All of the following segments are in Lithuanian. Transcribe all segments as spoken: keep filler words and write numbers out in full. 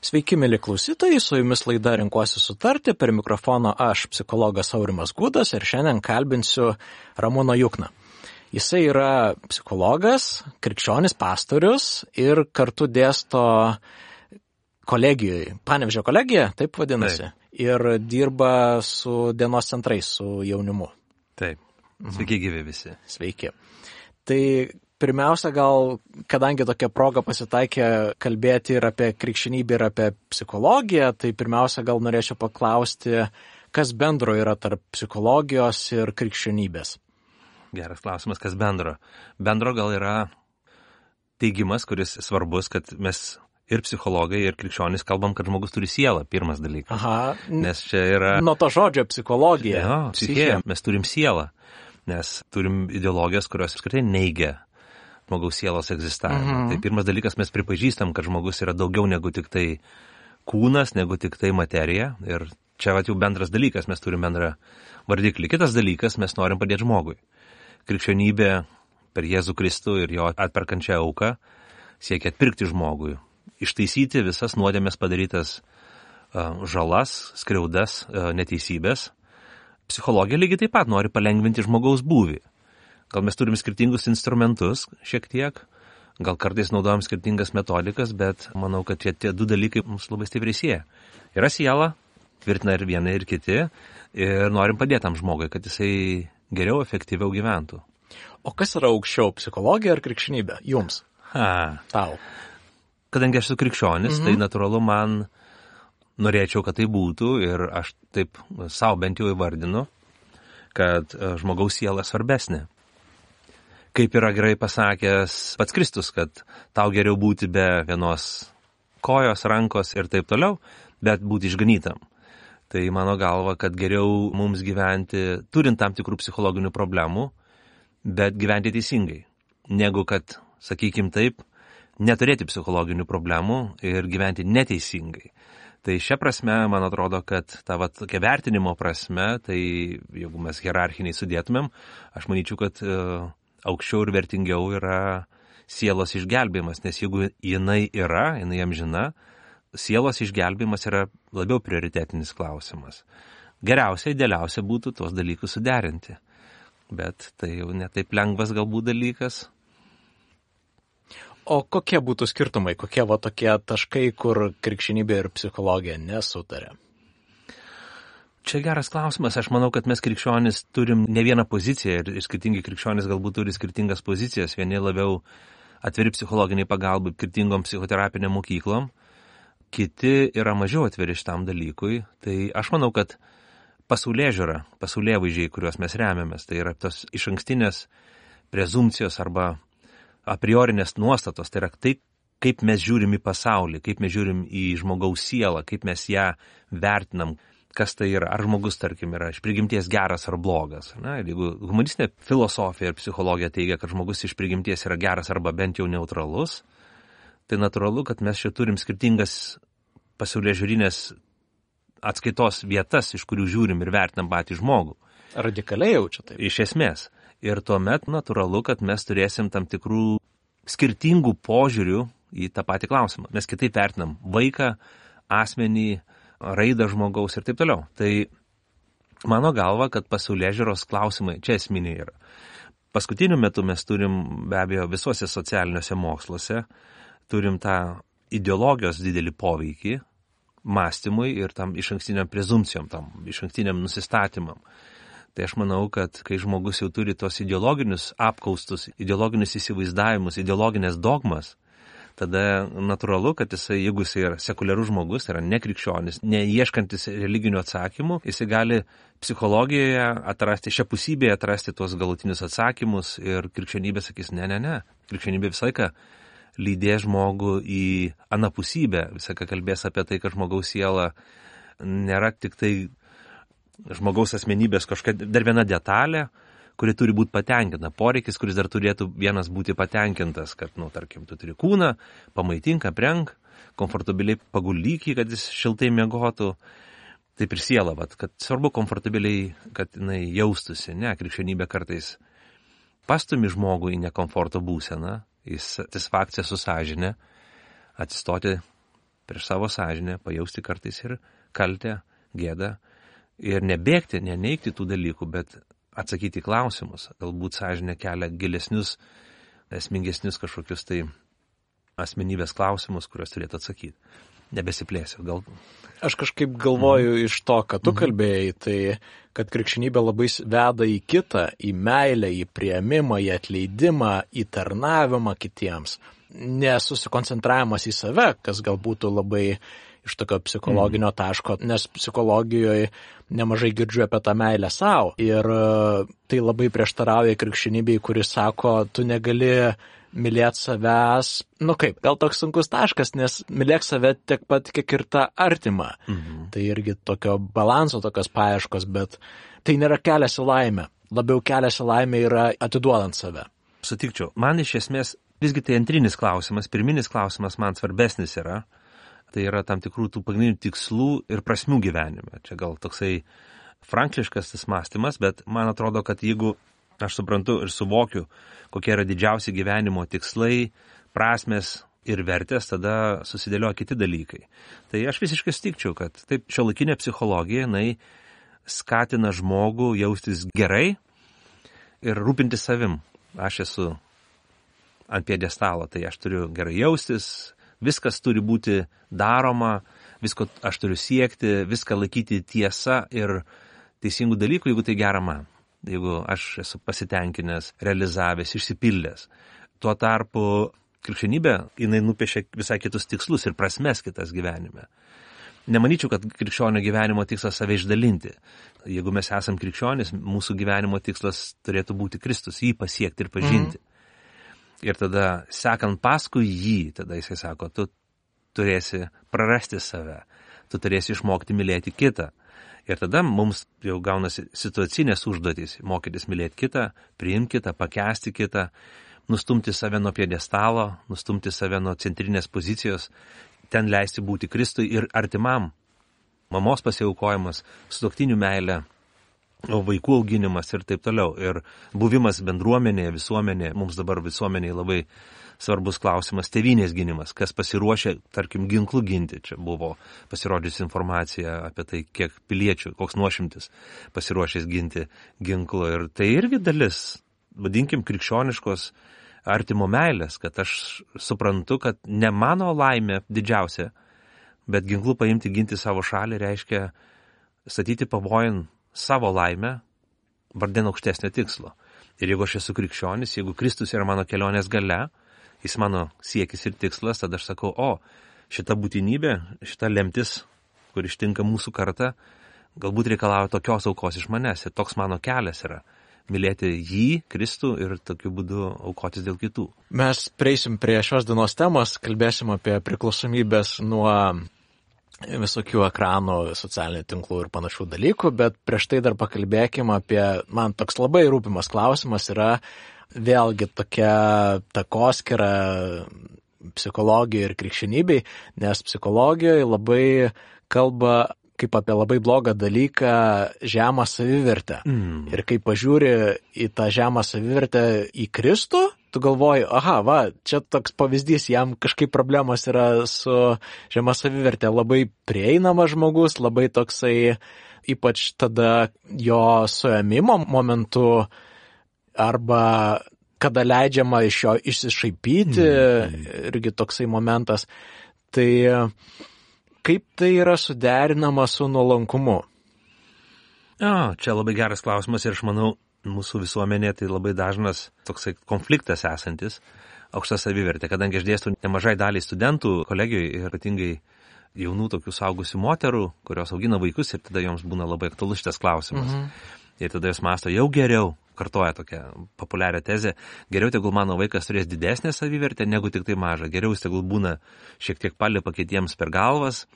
Sveiki, mėly klausytojai, su jumis laida Renkuosi sutarti, per mikrofono aš, psichologas Aurimas Gudas, ir šiandien kalbinsiu Ramūną Jukną. Jisai yra psichologas, krikščionis pastorius ir kartu dėsto kolegijoje, Panevėžio kolegija, taip vadinasi, taip. Ir dirba su dienos centrais, su jaunimu. Taip, sveiki gyvi visi. Sveiki. Tai pirmiausia, gal, kadangi tokia proga pasitaikė kalbėti ir apie krikščionybę, ir apie psichologiją, tai pirmiausia, gal norėčiau paklausti, kas bendro yra tarp psichologijos ir krikščionybės. Geras klausimas, kas bendro. Bendro gal yra teigimas, kuris svarbus, kad mes ir psichologai, ir krikščionys kalbam, kad žmogus turi sielą, pirmas dalykas. Aha, nes čia yra... Nuo to žodžio psichologija. Jo, psichija, mes turim sielą, nes turim ideologijas, kurios apskritai neigia žmogaus sielos egzistavimą. Mhm. Tai pirmas dalykas, mes pripažįstam, kad žmogus yra daugiau negu tik tai kūnas, negu tik tai materija. Ir čia va jau bendras dalykas, mes turim bendrą vardiklį. Kitas dalykas, mes norim padėti žmogui. Krikščionybė per Jėzų Kristų ir jo atperkančią auką siekia atpirkti žmogui, ištaisyti visas nuodėmės padarytas uh, žalas, skriaudas, uh, neteisybės. Psichologija lygiai taip pat nori palengvinti žmogaus būvį. Gal mes turim skirtingus instrumentus šiek tiek, gal kartais naudojam skirtingas metodikas, bet manau, kad tie, tie du dalykai mums labai stipriai sieja. Yra siela, tvirtina ir viena, ir kiti, ir norim padėti tam žmogui, kad jisai geriau, efektyviau gyventų. O kas yra aukščiau, psichologija ar krikščionybė? Jums? Ha. Tau. Kadangi aš esu krikščionis, mhm. tai natūralu man norėčiau, kad tai būtų, ir aš taip savo bent jau įvardinu, kad žmogaus siela svarbesnė. Kaip yra gerai pasakęs pats Kristus, kad tau geriau būti be vienos kojos, rankos ir taip toliau, bet būti išganytam. Tai mano galva, kad geriau mums gyventi, turint tam tikrų psichologinių problemų, bet gyventi teisingai, negu kad, sakykim taip, neturėti psichologinių problemų ir gyventi neteisingai. Tai šia prasme, man atrodo, kad ta va, tokia vertinimo prasme, tai jeigu mes hierarchiniai sudėtumėm, aš manyčiau, kad uh, aukščiau ir vertingiau yra sielos išgelbėjimas, nes jeigu jinai yra, jinai amžina, sielos išgelbėjimas yra labiau prioritetinis klausimas. Geriausia, idealiausia būtų tuos dalykus suderinti, bet tai jau netaip lengvas galbūt dalykas. O kokie būtų skirtumai, kokie va tokie taškai, kur krikščionybė ir psichologija nesutarė? Čia geras klausimas. Aš manau, kad mes krikščionys turim ne vieną poziciją ir skirtingi krikščionys galbūt turi skirtingas pozicijas. Vieni labiau atviri psichologiniai pagalbai, skirtingom psichoterapiniam mokyklom, kiti yra mažiau atviri šitam dalykui. Tai aš manau, kad pasaulėžiūra, pasaulėvaizdžiai, kuriuos mes remiamės, tai yra tos išankstinės prezumcijos arba a priorinės nuostatos, tai yra tai, kaip mes žiūrim į pasaulį, kaip mes žiūrim į žmogaus sielą, kaip mes ją vertinam, kas tai yra, ar žmogus, tarkim, yra iš prigimties geras ar blogas. Na, jeigu humanistinė filosofija ir psichologija teigia, kad žmogus iš prigimties yra geras arba bent jau neutralus, tai natūralu, kad mes čia turim skirtingas pasaulėžiūrinės atskaitos vietas, iš kurių žiūrim ir vertinam patį žmogų. Radikaliai jaučia tai. Iš esmės. Ir tuomet natūralu, kad mes turėsim tam tikrų skirtingų požiūrių į tą patį klausimą. Mes kitaip vertinam vaiką, asmenį, raidą žmogaus ir taip toliau. Tai mano galva, kad pasaulėžiūros klausimai čia esminiai yra. Paskutiniu metu mes turim be abejo visuose socialiniuose moksluose, turim tą ideologijos didelį poveikį mąstymui ir tam išankstiniam prezumcijom, tam išankstiniam nusistatymam. Tai aš manau, kad kai žmogus jau turi tos ideologinius apkaustus, ideologinius įsivaizdavimus, ideologinės dogmas, tada natūralu, kad jisai, jeigu jisai yra sekuliarus žmogus, tai yra nekrikščionis, neieškantis religinių atsakymų, jisai gali psichologijoje atrasti, šią pusybėje atrasti tuos galutinius atsakymus ir krikščionybė sakys, ne, ne, ne. Krikščionybė visą laiką lydės žmogų į anapusybę, visą laiką kalbės apie tai, kad žmogaus siela nėra tik tai žmogaus asmenybės kažkokia dar viena detalė, kuri turi būti patenkinta, poreikis, kuris dar turėtų vienas būti patenkintas, kad, nu, tarkim, tu turi kūną, pamaitink, aprenk, komfortabiliai paguldyk jį, kad jis šiltai miegotų, taip ir siela, vat, kad svarbu komfortabiliai, kad jinai jaustųsi, ne, krikščionybė kartais pastumi žmogų į nekomforto būseną, į satisfakciją su sąžinė, atsistoti prieš savo sąžinę, pajausti kartais ir kaltę, gėdą ir nebėgti, neneigti tų dalykų, bet atsakyti į klausimus. Galbūt sąžinė kelia gilesnius, esmingesnius kažkokius tai asmenybės klausimus, kuriuos turėtų atsakyti. Nebesiplėsiu, gal. Aš kažkaip galvoju mm. iš to, kad tu kalbėjai, tai kad krikščionybė labai veda į kitą, į meilę, į priėmimą, į atleidimą, į tarnavimą kitiems. Nesusikoncentravimas į save, kas gal būtų labai iš tokio psichologinio mm. taško, nes psichologijoje nemažai girdžiu apie tą meilę savo. Ir tai labai prieštarauja krikščionybei, kuris sako, tu negali mylėti savęs, nu kaip, gal toks sunkus taškas, nes mylėk save tiek pat, kiek ir tą artimą. Mhm. Tai irgi tokio balanso, tokios paieškos, bet tai nėra kelias į laimę. Labiau kelias į laimę yra atiduodant save. Sutikčiau. Man iš esmės visgi tai antrinis klausimas, pirminis klausimas man svarbesnis yra. Tai yra tam tikrų tų pagrindinių tikslų ir prasmių gyvenime. Čia gal toksai frankliškas tas mąstymas, bet man atrodo, kad jeigu aš suprantu ir suvokiu, kokie yra didžiausi gyvenimo tikslai, prasmės ir vertės, tada susidėlioja kiti dalykai. Tai aš visiškai sutikčiau, kad taip šiuolaikinė psichologija, jinai skatina žmogų jaustis gerai ir rūpintis savim. Aš esu ant pjedestalo, tai aš turiu gerai jaustis, viskas turi būti daroma, visko aš turiu siekti, viską laikyti tiesa ir teisingų dalykų, jeigu tai gera man. Jeigu aš esu pasitenkinęs, realizavęs, išsipildęs. Tuo tarpu krikščionybė, jinai nupiešia visai kitus tikslus ir prasmes kitas gyvenime. Nemanyčiau, kad krikščionio gyvenimo tikslas save išdalinti. Jeigu mes esam krikščionis, mūsų gyvenimo tikslas turėtų būti Kristus, jį pasiekti ir pažinti. Mm. Ir tada, sekant paskui jį, tada jisai sako, tu turėsi prarasti save, tu turėsi išmokti mylėti kitą. Ir tada mums jau gaunasi situacinės užduotys – mokytis mylėti kitą, priimti kitą, pakęsti kitą, nustumti save nuo pjedestalo, nustumti save nuo centrinės pozicijos, ten leisti būti Kristui ir artimam. Mamos pasiaukojimas, sutuoktinių meilė, vaikų auginimas ir taip toliau. Ir buvimas bendruomenėje, visuomenėje, mums dabar visuomenėje labai svarbus klausimas, tėvynės gynimas, kas pasiruošė, tarkim, ginklų ginti. Čia buvo pasirodžiusi informacija apie tai, kiek piliečių, koks nuošimtis pasiruošęs ginti ginklu. Ir tai irgi dalis, vadinkim, krikščioniškos artimo meilės, kad aš suprantu, kad ne mano laimė didžiausia, bet ginklų paimti ginti savo šalį reiškia statyti pavojin savo laimę vardan aukštesnio tikslo. Ir jeigu aš esu krikščionis, jeigu Kristus yra mano kelionės gale, jis mano siekis ir tikslas, tada aš sakau, o, šita būtinybė, šita lemtis, kur ištinka mūsų kartą, galbūt reikalauja tokios aukos iš manęs. Ir toks mano kelias yra mylėti jį, Kristų ir tokiu būdu aukotis dėl kitų. Mes prieisim prie šios dienos temos, kalbėsim apie priklausomybės nuo visokių ekranų, socialinių tinklų ir panašių dalykų, bet prieš tai dar pakalbėkim apie, man toks labai rūpimas klausimas yra vėlgi tokia takoskyra psichologijai ir krikščionybei, nes psichologijoje labai kalba kaip apie labai blogą dalyką žemą savivertę. Mm. Ir kai pažiūri į tą žemą savivertę į Kristų, tu galvoji, aha, va, čia toks pavyzdys, jam kažkaip problemos yra su žema savivertė. Labai prieinamas žmogus, labai toksai, ypač tada jo suėmimo momentu, arba kada leidžiama iš jo išsišaipyti, mm. irgi toksai momentas. Tai kaip tai yra suderinama su nuolankumu? O, čia labai geras klausimas ir aš manau, mūsų visuomenė tai labai dažnas toksai konfliktas esantis, aukšta savivertė, kadangi aš dėstu nemažai daliai studentų kolegijoje ir ypatingai jaunų tokių saugusių moterų, kurios augina vaikus ir tada joms būna labai aktualus šitas klausimas. Mhm. Ir tada jos mąsto, jau geriau, kartoja tokią populiarią tezę, geriau tegul mano vaikas turės didesnę savivertę, negu tik tai mažą. Geriau jis tegul būna šiek tiek palipa kitiems per galvas,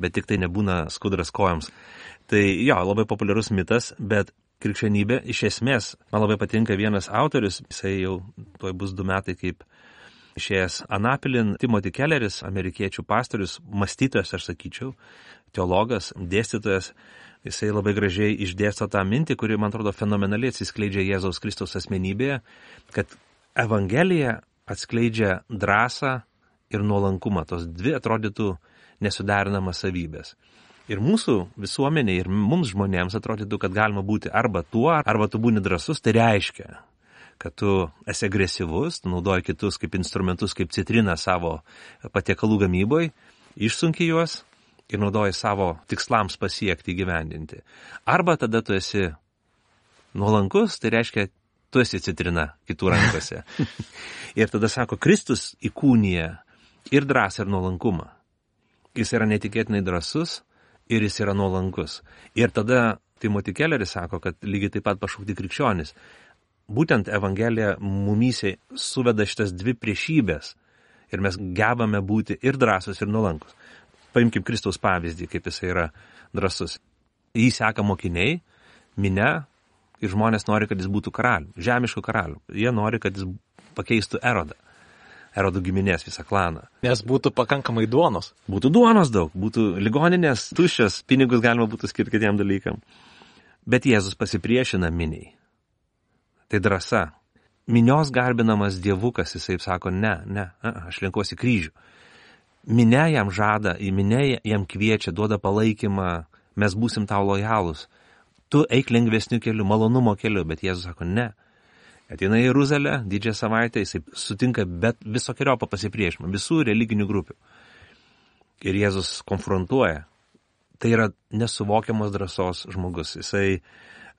bet tik tai nebūna skudras kojoms. Tai jo, labai populiarus mitas, bet krikščionybė iš esmės, man labai patinka vienas autorius, jisai jau tuoj bus du metai kaip išėjęs Anapilin, Timothy Kelleris, amerikiečių pastorius, mąstytojas, aš sakyčiau, teologas, dėstytojas. Jisai labai gražiai išdėsto tą mintį, kuri, man atrodo, fenomenaliai atsiskleidžia Jėzaus Kristaus asmenybėje, kad Evangelija atskleidžia drąsą ir nuolankumą. Tos dvi atrodytų nesuderinamas savybės. Ir mūsų visuomenė ir mums žmonėms atrodytų, kad galima būti arba tuo, arba tu būni drąsus, tai reiškia, kad tu esi agresyvus, tu naudoji kitus kaip instrumentus, kaip citriną savo patiekalų gamyboj, išsunki juos ir naudoji savo tikslams pasiekti, įgyvendinti. Arba tada tu esi nuolankus, tai reiškia, tu esi citrina kitų rankose. Ir tada sako, Kristus įkūnija ir drąsą, ir nuolankumą. Jis yra netikėtinai drąsus ir jis yra nuolankus. Ir tada Timothy Kelleris sako, kad lygiai taip pat pašaukti krikščionis. Būtent Evangelija mumyse suveda šitas dvi priešybės ir mes gebame būti ir drąsus, ir nuolankus. Paimkim Kristaus pavyzdį, kaip jis yra drąsus. Jį seka mokiniai, minia, ir žmonės nori, kad jis būtų karalių, žemiškų karalių. Jie nori, kad jis pakeistų Erodą, Erodų giminės visą klaną. Nes būtų pakankamai duonos. Būtų duonos daug, būtų ligoninės, tuščios, pinigus galima būtų skirti kitiem dalykam. Bet Jėzus pasipriešina miniai. Tai drąsa. Minios garbinamas dievukas, jisai sako, ne, ne, aš lenkuosi kryžių. Minia jam žada, į minę jam kviečia, duoda palaikymą, mes būsim tau lojalūs. Tu eik lengvesniu keliu, malonumo keliu, bet Jėzus sako, ne. Ateina į Jeruzalę, didžiąją savaitę, jisai sutinka bet visokiojopą pasipriešinimą, visų religinių grupių. Ir Jėzus konfrontuoja. Tai yra nesuvokiamos drąsos žmogus. Jisai,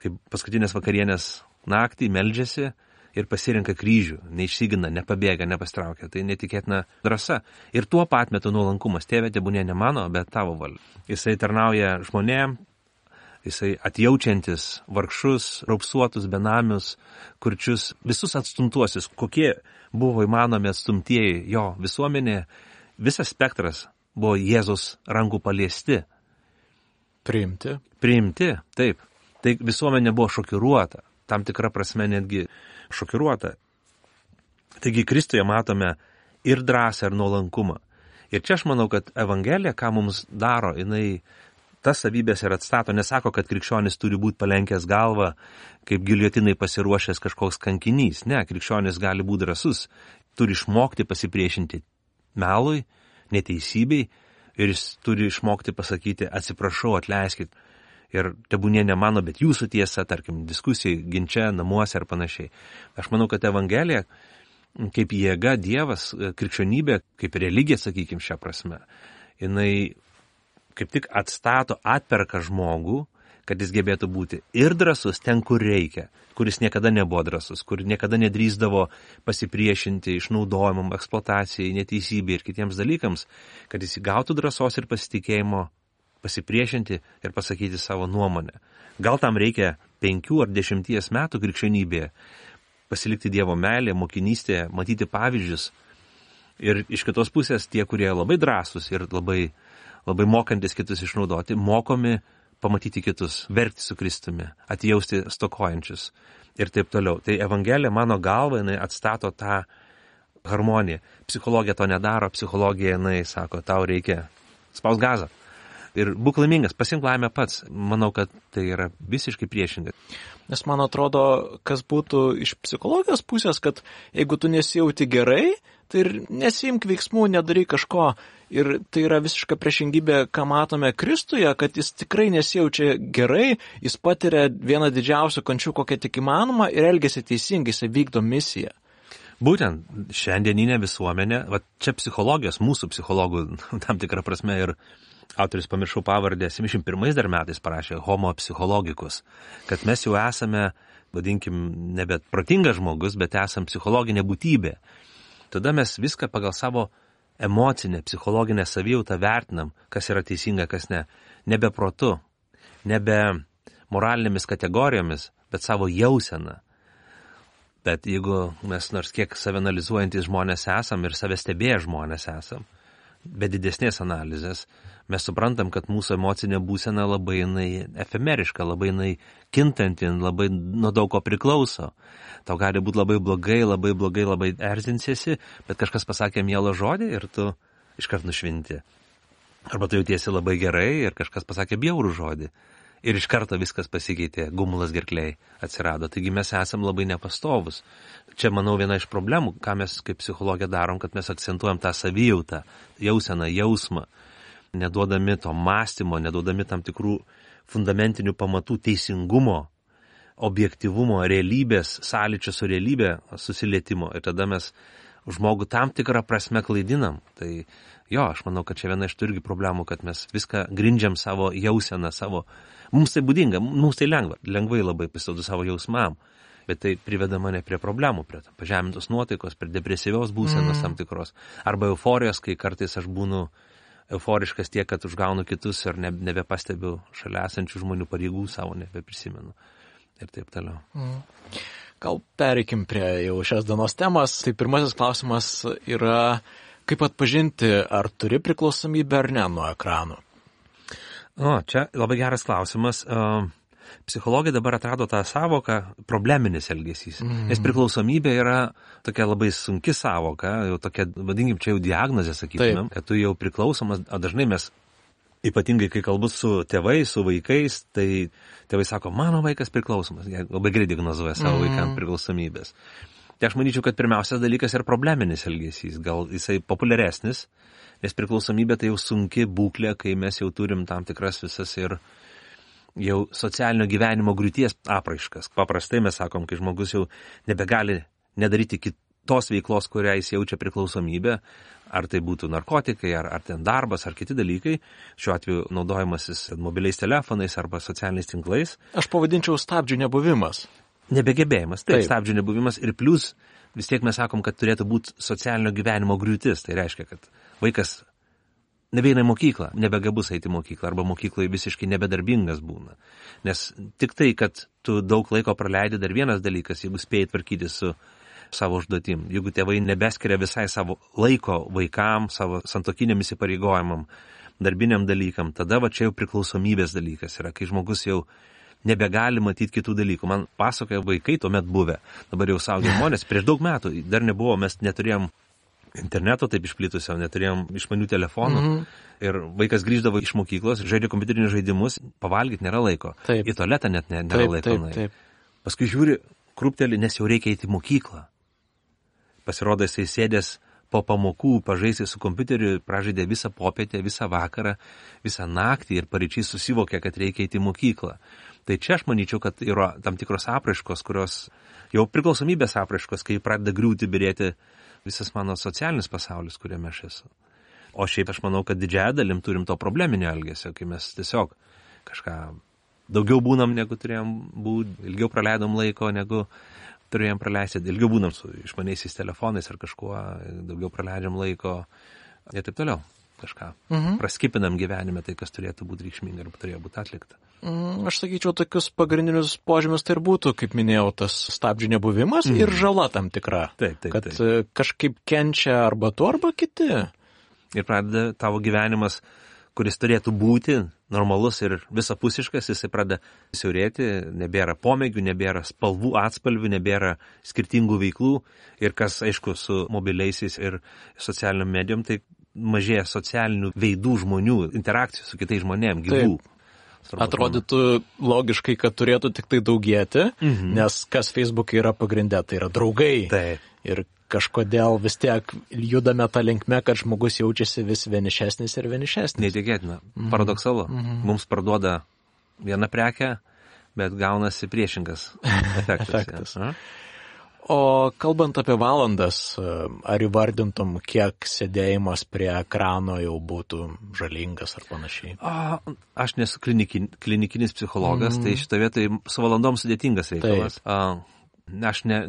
kaip paskutinės vakarienės naktį, meldžiasi ir pasirenka kryžių, neišsigina, nepabėga, nepastraukia. Tai netikėtina drąsa. Ir tuo pat metu nuolankumas. Tėve, tebūnie ne mano, bet tavo valia. Jisai tarnauja žmonėm, jisai atjaučiantis vargšus, raupsuotus, benamius, kurčius, visus atstumtuosius, kokie buvo įmanomi atstumtieji jo visuomenė, visas spektras buvo Jėzus rankų paliesti. Priimti. Priimti, taip. Tai visuomenė buvo šokiruota, tam tikra prasme netgi šokiruota. Taigi Kristuje matome ir drąsą, ir nuolankumą. Ir čia aš manau, kad Evangelija, ką mums daro, jinai tas savybės ir atstato, nesako, kad krikščionis turi būti palenkęs galvą, kaip giljotinai pasiruošęs kažkoks kankinys. Ne, krikščionis gali būti drąsus, turi išmokti pasipriešinti melui, neteisybei ir jis turi išmokti pasakyti atsiprašau, atleiskit. Ir tebūnie ne mano, bet jūsų tiesa, tarkim, diskusijai, ginče, namuose ar panašiai. Aš manau, kad Evangelija, kaip jėga, Dievas, krikščionybė, kaip religija, sakykim, šią prasme, jinai kaip tik atstato, atperka žmogų, kad jis gebėtų būti ir drąsus ten, kur reikia, kuris niekada nebuvo drąsus, kur niekada nedrįsdavo pasipriešinti išnaudojimam, eksploatacijai, neteisybei ir kitiems dalykams, kad jis įgautų drąsos ir pasitikėjimo pasipriešinti ir pasakyti savo nuomonę. Gal tam reikia penkių ar dešimties metų krikščionybėje, pasilikti Dievo meilė, mokinystė, matyti pavyzdžius. Ir iš kitos pusės tie, kurie labai drąsūs ir labai, labai mokantis kitus išnaudoti, mokomi pamatyti kitus, verkti su Kristumi, atjausti stokojančius ir taip toliau. Tai Evangelija, mano galva, jinai atstato tą harmoniją. Psichologija to nedaro, psichologija, jinai sako, tau reikia spaust gazą. Ir būk laimingas, pasink laimę pats. Manau, kad tai yra visiškai priešingai. Nes man atrodo, kas būtų iš psichologijos pusės, kad jeigu tu nesijauti gerai, tai ir nesiimk veiksmų, nedaryk kažko. Ir tai yra visiška priešingybė, ką matome Kristuje, kad jis tikrai nesijaučia gerai, jis patiria vieną didžiausių kančių, kokią tik įmanoma ir elgiasi teisingai, jis vykdo misiją. Būtent šiandieninė visuomenė, va čia psichologijos, mūsų psichologų tam tikrą prasme ir autorius, pamiršau pavardę, septyniasdešimt pirmais dar metais parašė Homo Psychologicus, kad mes jau esame, vadinkim, nebe protingas žmogus, bet esame psichologinė būtybė. Tada mes viską pagal savo emocinę, psichologinę savijautą vertinam, kas yra teisinga, kas ne. Nebe protu, nebe moralinėmis kategorijomis, bet savo jauseną. Bet jeigu mes nors kiek savianalizuojantys žmonės esam ir save stebėję žmonės esam, be didesnės analizės, mes suprantam, kad mūsų emocinė būsena labai jinai efemeriška, labai jinai kintanti, labai nuo daug ko priklauso. Tau gali būti labai blogai, labai blogai, labai erzinsiesi, bet kažkas pasakė mielą žodį ir tu iškart nušvinti. Arba tu jautiesi labai gerai ir kažkas pasakė bjaurų žodį. Ir iš karto viskas pasikeitė, gumulas gerklei atsirado. Taigi mes esam labai nepastovus. Čia, manau, viena iš problemų, ką mes kaip psichologija darom, kad mes akcentuojam tą savijautą, jauseną, jausmą. neduodami to mąstymo, neduodami tam tikrų fundamentinių pamatų teisingumo, objektyvumo, realybės, sąlyčio su realybė, susilietimo. Ir tada mes žmogų tam tikrą prasme klaidinam. Tai jo, aš manau, kad čia viena iš tų irgi problemų, kad mes viską grindžiam savo jauseną, savo... Mums tai būdinga, mums tai lengva, lengvai labai pasiduodu savo jausmam, bet tai priveda mane prie problemų, prie pažemintos nuotaikos, prie depresyvios būsenos mm. tam tikros, arba euforijos, kai kartais aš būnu euforiškas tiek, kad užgaunu kitus ir ne, nebepastebiu šalia esančių žmonių pareigų savo, nebeprisimenu ir taip toliau. Mm. Gal pereikim prie jau šios dienos temas. Tai pirmasis klausimas yra, kaip atpažinti, ar turi priklausomybę ar ne nuo ekranų? O, čia labai geras klausimas. Psichologija dabar atrado tą savoką probleminis elgesys. Mm. Nes priklausomybė yra tokia labai sunki savoka, jau tokia, vadinkim, čia jau diagnozė, sakytumėm, kad tu jau priklausomas, o dažnai mes, ypatingai kai kalbu su tėvais, su vaikais, tai tėvai sako, mano vaikas priklausomas, jie labai greit diagnozuoja savo mm. vaikams priklausomybės. Tai aš manyčiau, kad pirmiausias dalykas yra probleminis elgesys, gal jisai populiaresnis, nes priklausomybė tai jau sunki būklė, kai mes jau turim tam tikras visas ir jau socialinio gyvenimo griūties apraiškas. Paprastai mes sakom, kai žmogus jau nebegali nedaryti kitos veiklos, kurią jis jaučia priklausomybę, ar tai būtų narkotikai, ar, ar ten darbas, ar kiti dalykai, šiuo atveju naudojimasis mobiliais telefonais arba socialiniais tinklais. Aš pavadinčiau stabdžių nebuvimas. Nebegebėjimas, taip, taip. Stabdžių nebuvimas ir plus vis tiek mes sakom, kad turėtų būti socialinio gyvenimo griūtis. Tai reiškia, kad vaikas nebeina į mokyklą, nebegabus eiti į mokyklą arba mokykloje visiškai nebedarbingas būna. Nes tik tai, kad tu daug laiko praleidi, dar vienas dalykas, jeigu spėjai tvarkyti su savo užduotim. Jeigu tėvai nebeskiria visai savo laiko vaikam, savo santokiniam įsipareigojimam, darbiniam dalykam, tada va čia jau priklausomybės dalykas yra, kai žmogus jau nebegali matyti kitų dalykų. Man pasakoja vaikai tuomet buvę, dabar jau suaugę žmonės, prieš daug metų dar nebuvo, mes neturėjom interneto taip išplitusio, neturėjom išmanių telefonų mm-hmm. ir vaikas grįždavo iš mokyklos, žaidė kompiuterinius žaidimus, pavalgyti nėra laiko, taip. Į tualetą net nėra taip, laiko. Taip, taip. Paskui žiūri, krūpteli, nes jau reikia eiti į mokyklą. Pasirodo, jisai sėdės po pamokų, pažaisti su kompiuteriu, pražaidė visą popietę, visą vakarą, visą naktį ir paryčiai susivokė, kad reikia eiti į mokyklą. Tai čia aš manyčiau, kad yra tam tikros apraiškos, kurios jau priklausomybės apraiškos, kai pradeda griūti, birėti visas mano socialinis pasaulis, kuriame aš esu. O šiaip aš manau, kad didžiąją dalim turim to probleminio elgesio, kai mes tiesiog kažką daugiau būnam, negu turėjom būti, ilgiau praleidom laiko, negu turėjom praleisti, ilgiau būnam su išmaniaisiais telefonais ar kažkuo, daugiau praleidžiam laiko ir taip toliau. Kažką mhm. praskipinam gyvenime, tai kas turėtų būti reikšminga arba turėjo būti atlikta. Mm, aš sakyčiau, tokius pagrindinius požymius tai ir būtų, kaip minėjau, tas stabdžių nebuvimas mhm. ir žala tam tikra. Taip, taip, kad taip. Kažkaip kenčia arba tu, arba kiti. Ir pradeda tavo gyvenimas, kuris turėtų būti normalus ir visapusiškas, jisai pradeda siaurėti, nebėra pomėgių, nebėra spalvų, atspalvių, nebėra skirtingų veiklų ir kas, aišku, su mobiliaisiais ir socialiniam medijom, tai mažėja socialinių veidų žmonių, interakcijų su kitais žmonėm, gyvų. Taip. Atrodytų logiškai, kad turėtų tik tai daugėti, mhm. nes kas Facebook'e yra pagrindė, tai yra draugai. Taip. Ir kažkodėl vis tiek judame tą linkme, kad žmogus jaučiasi vis vienišesnis ir vienišesnis. Neįtikėtina, mhm. paradoksalu. Mhm. Mums parduoda vieną prekę, bet gaunasi priešingas efektas. efektas. Ja. O kalbant apie valandas, ar įvardintum, kiek sėdėjimas prie ekrano jau būtų žalingas ar panašiai? A, aš nesu klinikin, klinikinis psichologas, mm. tai šitą vietą su valandom sudėtingas reikalas. A, aš ne,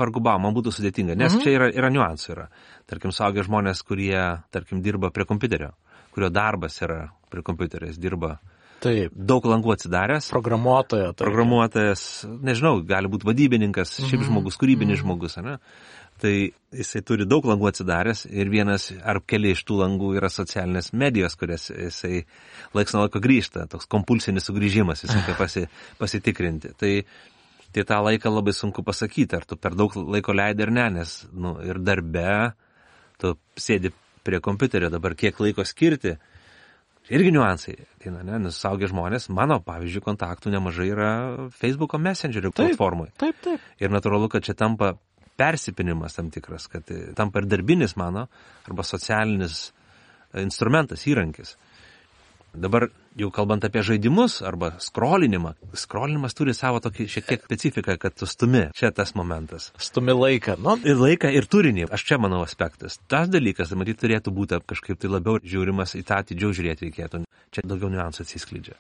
vargu bau, man būtų sudėtinga, nes mm. čia yra, yra niuansų. Yra. Tarkim, suaugę žmonės, kurie, tarkim, dirba prie kompiuterio, kurio darbas yra prie kompiuterio, jis dirba Taip. Daug langų atsidaręs. Programuotoja. Taip. Programuotojas, nežinau, gali būti vadybininkas, mm-hmm. šiaip žmogus, kūrybinis mm-hmm. žmogus, ne? Tai jisai turi daug langų atsidaręs ir vienas ar keli iš tų langų yra socialinės medijos, kurias jisai laiks nuo laiko grįžta, toks kompulsinis sugrįžimas, jisai reikia pasi, pasitikrinti. Tai, tai tą laiką labai sunku pasakyti, ar tu per daug laiko leidi ar ne, nes nu, ir darbe tu sėdi prie kompiuterio, dabar kiek laiko skirti. Irgi niuansai, tai, ne, nes suaugę žmonės, mano, pavyzdžiui, kontaktų nemažai yra Facebook'o Messengerio platformoje. Taip, taip. Ir natūralu, kad čia tampa persipinimas tam tikras, kad tampa ir darbinis mano, arba socialinis instrumentas, įrankis. Dabar jau kalbant apie žaidimus arba skrolinimą, skrolinimas turi savo tokį šiek tiek specifiką, kad tu stumi. Čia tas momentas. Stumi laiką. Nu. Ir laiką, ir turinį. Aš čia manau aspektas. Tas dalykas, matyt, turėtų būti kažkaip tai labiau žiūrimas, į tą atidžiau žiūrėti reikėtų. Čia daugiau niuansų atsiskleidžia.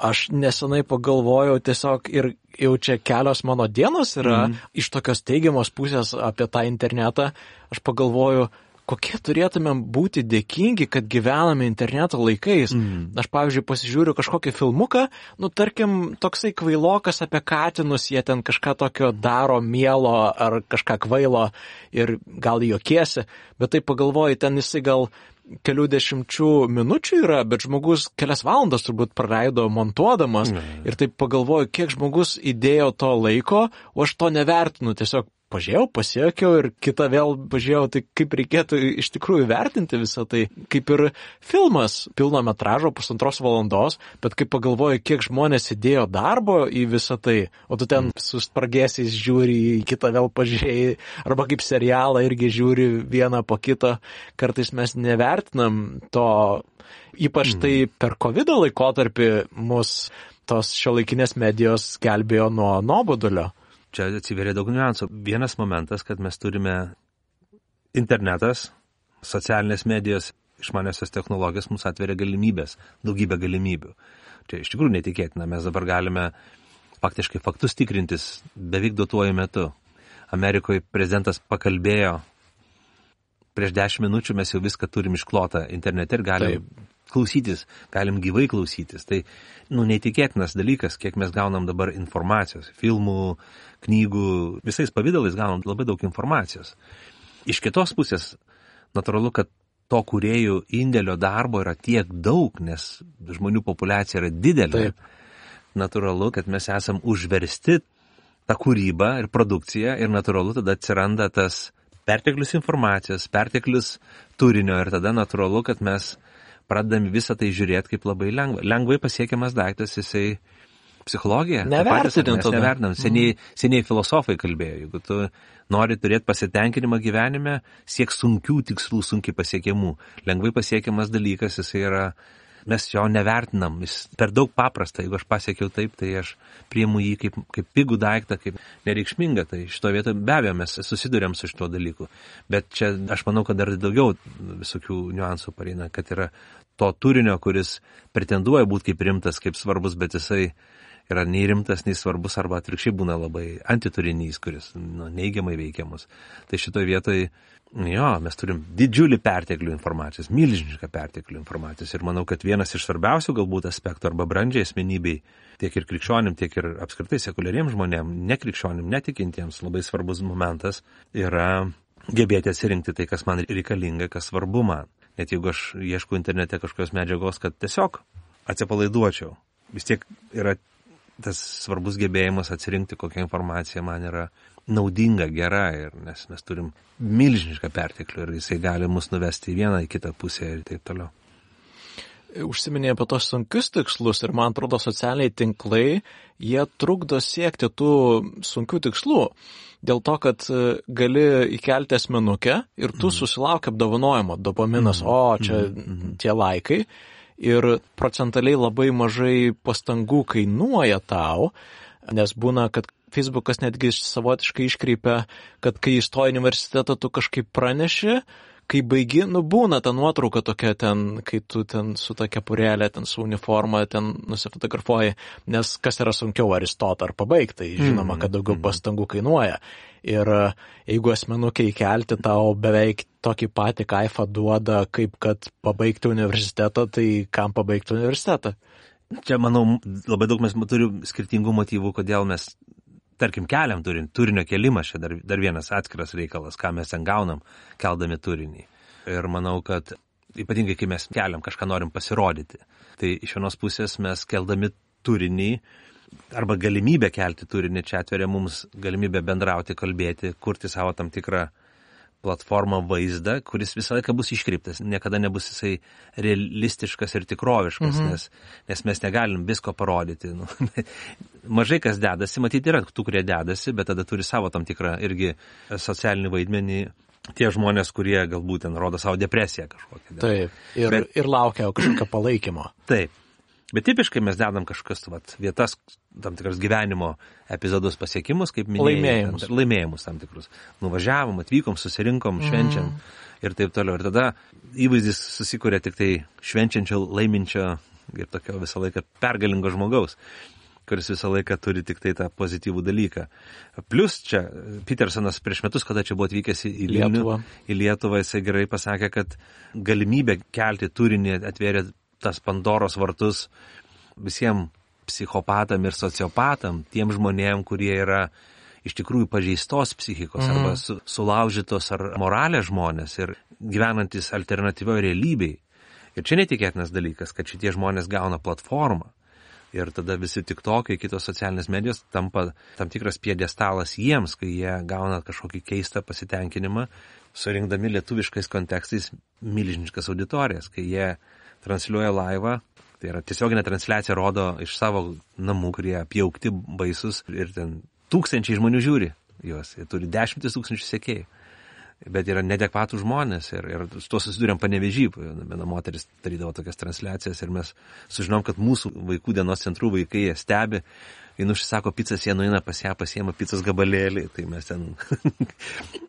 Aš nesenai pagalvojau tiesiog ir jau čia kelios mano dienos yra mm. iš tokios teigiamos pusės apie tą internetą. Aš pagalvoju, kokie turėtumėm būti dėkingi, kad gyvename interneto laikais. Mm. Aš, pavyzdžiui, pasižiūriu kažkokį filmuką, nu, tarkim, toksai kvailokas apie katinus, jie ten kažką tokio daro mielo ar kažką kvailo ir gal juokiesi, bet tai pagalvoju, ten jisai gal kelių dešimčių minučių yra, bet žmogus kelias valandas turbūt praleido montuodamas mm. ir taip pagalvoju, kiek žmogus įdėjo to laiko, o aš to nevertinu, tiesiog pažiūrėjau, pasiekiau ir kitą vėl pažiūrėjau, tai kaip reikėtų iš tikrųjų vertinti visą tai. Kaip ir filmas pilno metražo pusantros valandos, bet kaip pagalvoju, kiek žmonės įdėjo darbo į visą tai, o tu ten su spragėsiais žiūri, į kitą vėl pažiūrėjai, arba kaip serialą irgi žiūri vieną po kito. Kartais mes nevertinam to, ypač tai per kovido laikotarpį mus tos šiuolaikinės medijos gelbėjo nuo nuobodulio. Čia atsiveria daug niuansų. Vienas momentas, kad mes turime internetas, socialinės medijos, išmaniosios technologijos mums atveria galimybės, daugybę galimybių. Čia iš tikrųjų netikėtina. Mes dabar galime faktiškai faktus tikrintis beveik duotuoju metu. Amerikoje prezidentas pakalbėjo, prieš dešimt minučių mes jau viską turim išklotą internete ir galim Taip. klausytis, galim gyvai klausytis. Tai, nu, neįtikėtinas dalykas, kiek mes gaunam dabar informacijos, filmų, knygų, visais pavydalais gaunam labai daug informacijos. Iš kitos pusės, natūralu, kad to kūrėjų indėlio darbo yra tiek daug, nes žmonių populiacija yra didelė. Taip. Natūralu, kad mes esam užversti tą kūrybą ir produkciją ir natūralu tada atsiranda tas perteklius informacijos, perteklius turinio ir tada natūralu, kad mes pradedame visą tai žiūrėti kaip labai lengva. Lengvai pasiekiamas daiktas, jisai psichologija. Nevertinant tada. Nevertinant. Seniai, seniai filosofai kalbėjo, jeigu tu nori turėti pasitenkinimą gyvenime, siek sunkių tikslų, sunkiai pasiekiamų. Lengvai pasiekiamas dalykas, jisai yra, mes jo nevertinam, jis per daug paprasta. Jeigu aš pasiekiau taip, tai aš priimu jį kaip, kaip pigų daiktą, kaip nereikšmingą. Tai šito vietoje be abejo mes susidurėm su šito dalyku. Bet čia aš manau, kad dar daugiau visokių niuansų pareina, kad yra to turinio, kuris pretenduoja būti kaip rimtas, kaip svarbus, bet jisai yra nei rimtas, nei svarbus, arba atvirkščiai būna labai antiturinys, kuris nu, neigiamai veikiamus. Tai šitoje vietoje, jo, mes turim didžiulį perteklių informacijos, milžinišką perteklių informacijos. Ir manau, kad vienas iš svarbiausių galbūt aspektų arba brandžiai asmenybei, tiek ir krikščionim, tiek ir apskritai sekuliariems žmonėm, nekrikščionim, netikintiems, labai svarbus momentas yra gebėti atsirinkti tai, kas man reikalinga, kas svarbu man. Net jeigu aš ieškau internete kažkokios medžiagos, kad tiesiog atsipalaiduočiau, vis tiek yra tas svarbus gebėjimas atsirinkti, kokia informacija man yra naudinga, gera, ir nes mes turim milžinišką perteklių ir jisai gali mus nuvesti į vieną, į kitą pusę ir taip toliau. Užsiminė apie tos sunkius tikslus ir man atrodo socialiniai tinklai, jie trukdo siekti tų sunkių tikslų. Dėl to, kad gali įkelti asmenukę ir tu mm. susilauki apdovanojimo, dopaminas, mm. o čia mm. tie laikai. Ir procentaliai labai mažai pastangų kainuoja tau, nes būna, kad Facebookas netgi savotiškai iškreipia, kad kai įstoji į universitetą, tu kažkaip praneši, kai baigi, nu būna ta nuotrauka tokia ten, kai tu ten su ta kepurėlė, ten su uniforma, ten nusifotografuoji, nes kas yra sunkiau, ar įstoti, ar pabaigti, tai žinoma, kad daugiau pastangų kainuoja. Ir jeigu asmenukę įkelti tau beveik tokį patį kaifą duoda, kaip kad pabaigti universitetą, tai kam pabaigti universitetą? Čia, manau, labai daug mes turim skirtingų motyvų, kodėl mes, tarkim, keliam turinį. Turinio kelimas čia dar, dar vienas atskiras reikalas, ką mes ten gaunam, keldami turinį. Ir manau, kad ypatingai, kai mes keliam, kažką norim pasirodyti, tai iš vienos pusės mes keldami turinį, arba galimybę kelti turinį, čia atveria mums galimybę bendrauti, kalbėti, kurti savo tam tikrą platformą, vaizdą, kuris visą laiką bus iškreiptas, niekada nebus jisai realistiškas ir tikroviškas, mhm. nes, nes mes negalim visko parodyti. Nu, mažai kas dedasi, matyti yra tų, kurie dedasi, bet tada turi savo tam tikrą irgi socialinį vaidmenį tie žmonės, kurie galbūt ten rodo savo depresiją kažkokią. Taip, ir, bet, ir laukia kažkokio palaikymo. Taip, bet tipiškai mes dedam kažkas vat, vietas, tam tikras gyvenimo epizodus pasiekimus, kaip minėjai. Laimėjimus. Tam, laimėjimus tam tikrus. Nuvažiavom, atvykom, susirinkom, švenčiam mm. ir taip toliau. Ir tada įvaizdis susikuria tik tai švenčiančio, laiminčio ir tokio visą laiką pergalingo žmogaus, kuris visą laiką turi tik tai tą pozityvų dalyką. Plus čia Petersonas prieš metus, kada čia buvo atvykęs į Vilnių, į Lietuvą, jisai gerai pasakė, kad galimybė kelti turinį atvėrė tas Pandoros vartus visiems psichopatam ir sociopatam, tiem žmonėm, kurie yra iš tikrųjų pažeistos psichikos mm. arba su, sulaužytos ar moralės žmonės ir gyvenantis alternatyvioje realybėje. Ir čia netikėtinas dalykas, kad šitie žmonės gauna platformą. Ir tada visi tiktokai, kitos socialinės medijos tampa tam tikras piedestalas jiems, kai jie gauna kažkokį keistą pasitenkinimą, surinkdami lietuviškais kontekstais milžiniškas auditorijas, kai jie transliuoja laivą, tai yra tiesioginė transliacija rodo iš savo namų, kurie apjaukti baisus ir ten tūkstančiai žmonių žiūri juos, jie turi dešimtis tūkstančių sekėjų. Bet yra nedekvatų žmonės ir, ir su to susidūrėm Panevėžy. Viena moteris darydavo tokias transliacijas ir mes sužinom, kad mūsų vaikų dienos centrų vaikai jie stebi, jie užsisako pizzas, jie nueina pas ją, pasiema pizzas gabalėlį, tai mes ten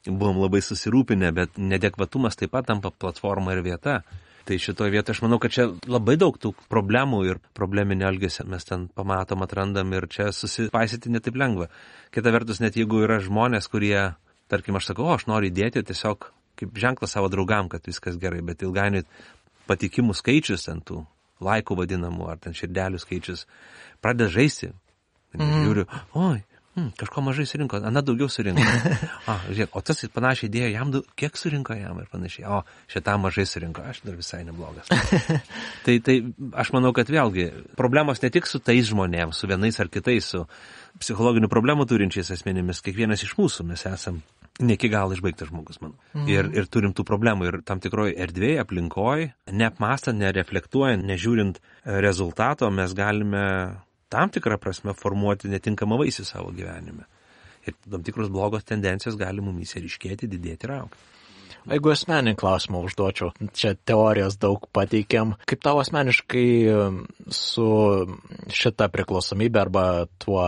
buvom labai susirūpinę, bet nedekvatumas taip pat tampa platforma ir vieta. Tai šitoje vietoje aš manau, kad čia labai daug tų problemų ir probleminio elgesio mes ten pamatom, atrandam ir čia susipaisyti netaip lengva. Kita vertus, net jeigu yra žmonės, kurie tarkim, aš sakau, o, aš noriu įdėti tiesiog kaip ženklą savo draugam, kad viskas gerai, bet ilgainiui patikimų skaičius, ten tų laikų vadinamų, ar ten širdelių skaičius, pradeda žaisti. Mm. Žiūriu, oi, hmm, kažko mažai surinko, ana daugiau surinko. A, žiūrėk, o tas panašiai idėja, jam daug, kiek surinko jam ir panašiai. O, šitą mažai surinko, aš dar visai neblogas. tai, tai aš manau, kad vėlgi problemos ne tik su tais žmonėms, su vienais ar kitais, su psichologinių problemų turinčiais asmenimis, kiekvienas iš mūsų mes esam ne iki galo išbaigtas žmogus, manau. Mhm. Ir, ir turim tų problemų ir tam tikroje erdvėje, aplinkoje, neapmastant, nereflektuojant, nežiūrint rezultato, mes galime tam tikrą prasme formuoti netinkamą vaisių savo gyvenime. Ir tam tikros blogos tendencijos gali mumyse ryškėti, didėti ir augti. Jeigu asmeninį klausimą užduočiau, čia teorijos daug pateikėm, kaip tau asmeniškai su šita priklausomybė arba tuo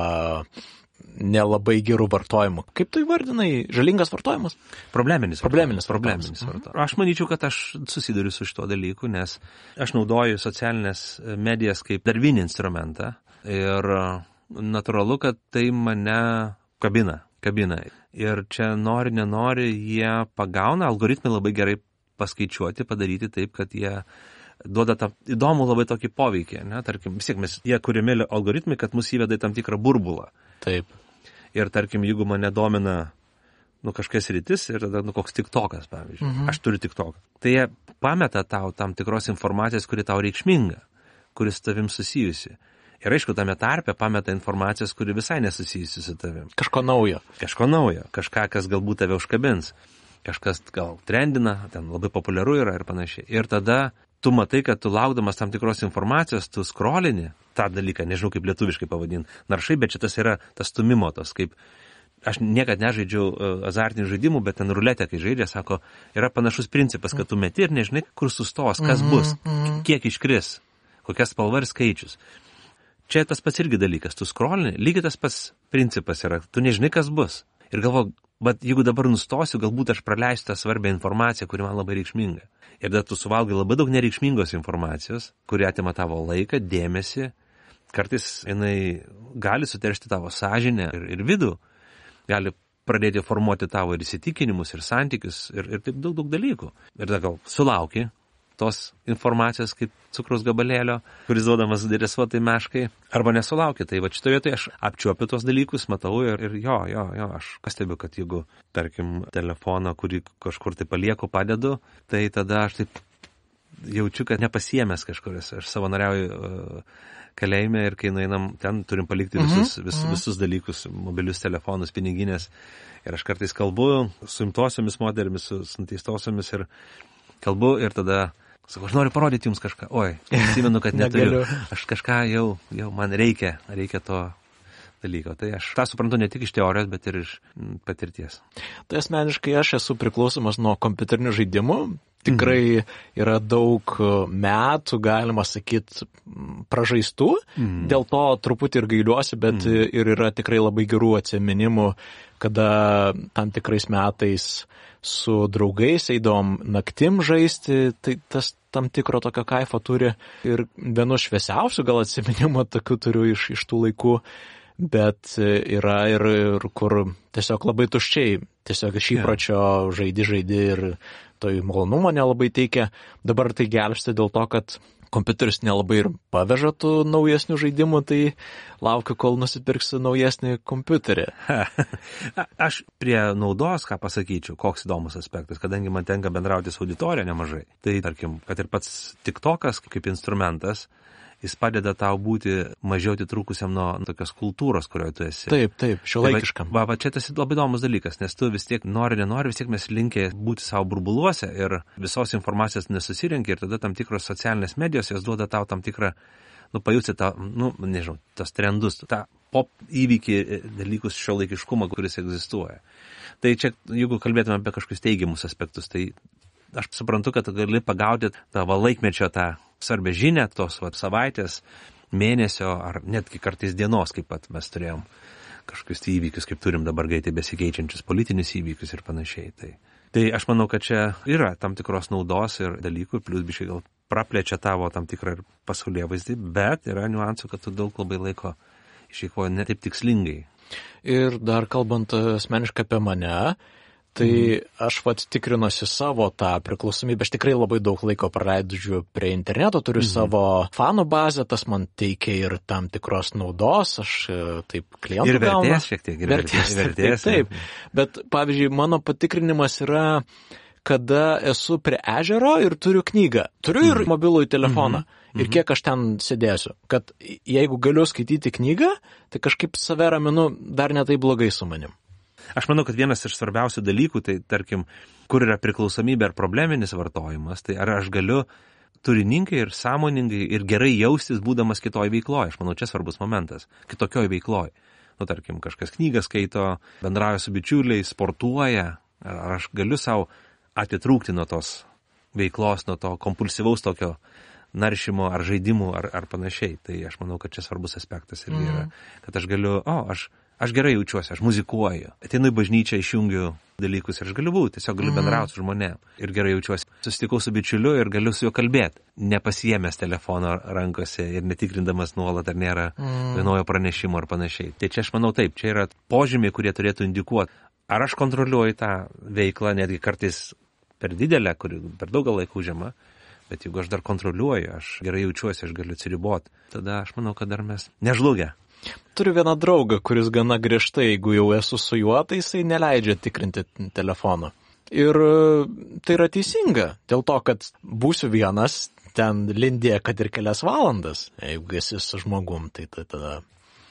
nelabai gerų vartojimų. Kaip tu įvardinai? Žalingas vartojimas? Probleminis. Probleminis. Probleminis vartojimas. Aš manyčiau, kad aš susiduriu su šito dalyku, nes aš naudoju socialinės medijas kaip darbinį instrumentą ir natūralu, kad tai mane kabina. kabina. Ir čia nori, nenori, jie pagauna, algoritmai labai gerai paskaičiuoti, padaryti taip, kad jie duoda tą įdomų labai tokį poveikį. Ne? Tarkim, vis tiek mes, jie kuriami algoritmai, kad mus įveda į tam tikrą burbulą. Taip. Ir tarkim, jeigu mane domina nu, kažkas rytis ir tada nu, koks tiktokas, pavyzdžiui. Mhm. Aš turiu tiktoką. Tai jie pameta tau tam tikros informacijos, kuri tau reikšminga, kuris tavim susijusi. Ir aišku, tame tarpe pameta informacijos, kuri visai nesusijusi su tavim. Kažko naujo. Kažko naujo. Kažką, kas galbūt tave užkabins. Kažkas gal trendina, ten labai populiaru yra ir panašiai. Ir tada tu matai, kad tu laukdamas tam tikros informacijos, tu scrollini tą dalyką, nežinau kaip lietuviškai pavadinti, naršai, bet šitas yra tas stumimo tos, kaip aš niekad nežaidžiau uh, azartinių žaidimų, bet ten ruletė, kai žaidžia, sako, yra panašus principas, kad tu meti ir nežinai, kur sustos, kas mm-hmm, bus, mm-hmm. kiek iškris, kokia spalva ir skaičius. Čia tas pats irgi dalykas, tu scrollini, lygiai tas pats principas yra, tu nežinai, kas bus. Ir galvo, bet jeigu dabar nustosiu, galbūt aš praleisiu tą svarbią informaciją, kuri man labai reikšminga. Ir tada tu suvalgai labai daug nereikšmingos informacijos, kuri atima tavo laiką, dėmesį, kartais jinai gali suteršti tavo sąžinę ir, ir vidų, gali pradėti formuoti tavo ir įsitikinimus, ir santykius, ir, ir taip daug, daug dalykų. Ir tada gal sulauki tos informacijos kaip cukraus gabalėlio, kuris duodamas deresuotai meškai, arba nesulaukia. Tai va šitoje vietoje aš apčiuopiu tos dalykus, matau ir, ir jo, jo, jo, aš pastebiu, kad jeigu, tarkim, telefoną, kurį kažkur tai palieku, padedu, tai tada aš taip jaučiu, kad nepasiėmęs kažkur. Aš savanoriauju uh, kalėjime ir kai nueinam, ten turim palikti visus, vis, visus dalykus, mobilius telefonus, piniginės. Ir aš kartais kalbu su imtosiomis moterimis, su nuteistosiomis ir kalbu ir tada sakau, aš noriu parodyti jums kažką. Oi, atsimenu, kad neturiu. Aš kažką jau, jau man reikia, reikia to dalyko. Tai aš tą suprantu ne tik iš teorijos, bet ir iš patirties. Tai asmeniškai aš esu priklausomas nuo kompiuterinių žaidimų. Tikrai yra daug metų, galima sakyti, pražaistų. Mm. Dėl to truputį ir gailiuosi, bet mm. ir yra tikrai labai gerų atsiminimų, kada tam tikrais metais su draugais eidom naktim žaisti, tai tas tam tikro tokio kaifo turi. Ir vienu šviesiausių gal atsiminimų tokių turiu iš, iš tų laikų, bet yra ir, ir kur tiesiog labai tuščiai, tiesiog iš įpročio žaidi, žaidi ir to malonumo nelabai teikia. Dabar tai gelbsti dėl to, kad kompiuteris nelabai ir paveža tų naujesnių žaidimų, tai laukiu, kol nusipirksiu naujesnį kompiuterį. Aš prie naudos, ką pasakyčiau, koks įdomus aspektas, kadangi man tenka bendrauti su auditorija nemažai. Tai, tarkim, kad ir pats TikTokas kaip instrumentas, jis padeda tau būti mažiau atitrūkusiam nuo tokios kultūros, kurioje tu esi. Taip, taip, šiuolaikiškam. Va, va, čia tas labai įdomus dalykas, nes tu vis tiek nori, nenori, vis tiek mes linkę būti savo burbuluose ir visos informacijos nesusirinki ir tada tam tikros socialinės medijos jos duoda tau tam tikrą, nu, pajusti tą, nu, nežinau, tos trendus, tą pop įvykį dalykus šiuolaikiškumą, kuris egzistuoja. Tai čia, jeigu kalbėtume apie kažkokius teigiamus aspektus, tai aš suprantu, kad gali pagauti tą laikmečio tą svarbę žinią, tos va, savaitės, mėnesio ar netgi kartais dienos, kaip pat mes turėjom kažkokius tai įvykius, kaip turim dabar greitai besikeičiančius politinius įvykius ir panašiai. Tai, tai aš manau, kad čia yra tam tikros naudos ir dalykų, plus biškai gal praplečia tavo tam tikrą ir pasaulyje vaizdį, bet yra niuansų, kad tu daug labai laiko išeikvoji ne taip tikslingai. Ir dar kalbant asmeniškai apie mane, tai aš vat tikrinuosi savo tą priklausomybę, aš tikrai labai daug laiko praleidžiu prie interneto, turiu mm-hmm. savo fanų bazę, tas man teikia ir tam tikros naudos, aš taip klientų ir vertės gaunu. Šiek tiek, ir vertės, vertės, taip, taip. Bet pavyzdžiui, mano patikrinimas yra, kada esu prie ežero ir turiu knygą, turiu ir mm-hmm. mobilųjį telefoną. Mm-hmm. Ir kiek aš ten sėdėsiu, kad jeigu galiu skaityti knygą, tai kažkaip save raminu dar netai blogai su manim. Aš manau, kad vienas iš svarbiausių dalykų, tai tarkim, kur yra priklausomybė ar probleminis vartojimas, tai ar aš galiu turiningai ir sąmoningai ir gerai jaustis būdamas kitoj veikloj. Aš manau, čia svarbus momentas. Kitokioj veikloj. Nu, tarkim, kažkas knygą skaito, bendrauja su bičiuliais, sportuoja. Ar, ar aš galiu savo atitrūkti nuo tos veiklos, nuo to kompulsyvaus tokio naršymo ar žaidimų ar, ar panašiai. Tai aš manau, kad čia svarbus aspektas ir mm. yra. Kad aš galiu, o, aš... Aš gerai jaučiuosi, aš muzikuoju, ateinu į bažnyčią, išjungiu dalykus ir aš galiu būti, tiesiog galiu bendrauti su žmonėm ir gerai jaučiuosi. Susitikau su bičiuliu ir galiu su juo kalbėti, nepasiėmęs telefono rankose ir netikrindamas nuolat, ar nėra mm. naujo pranešimo ar panašiai. Tai čia aš manau taip, čia yra požymiai, kurie turėtų indikuoti, ar aš kontroliuoju tą veiklą, netgi kartais per didelę, kuri per daugą laikų užima, bet jeigu aš dar kontroliuoju, aš gerai jaučiuosi, aš galiu atsiriboti, tada aš manau, kad dar mes nežlugę. Turiu vieną draugą, kuris gana griežtai, jeigu jau esu su juo, tai jisai neleidžia tikrinti telefono. Ir tai yra teisinga, dėl to, kad būsiu vienas, ten lindė, kad ir kelias valandas, jeigu esi su žmogum, tai tada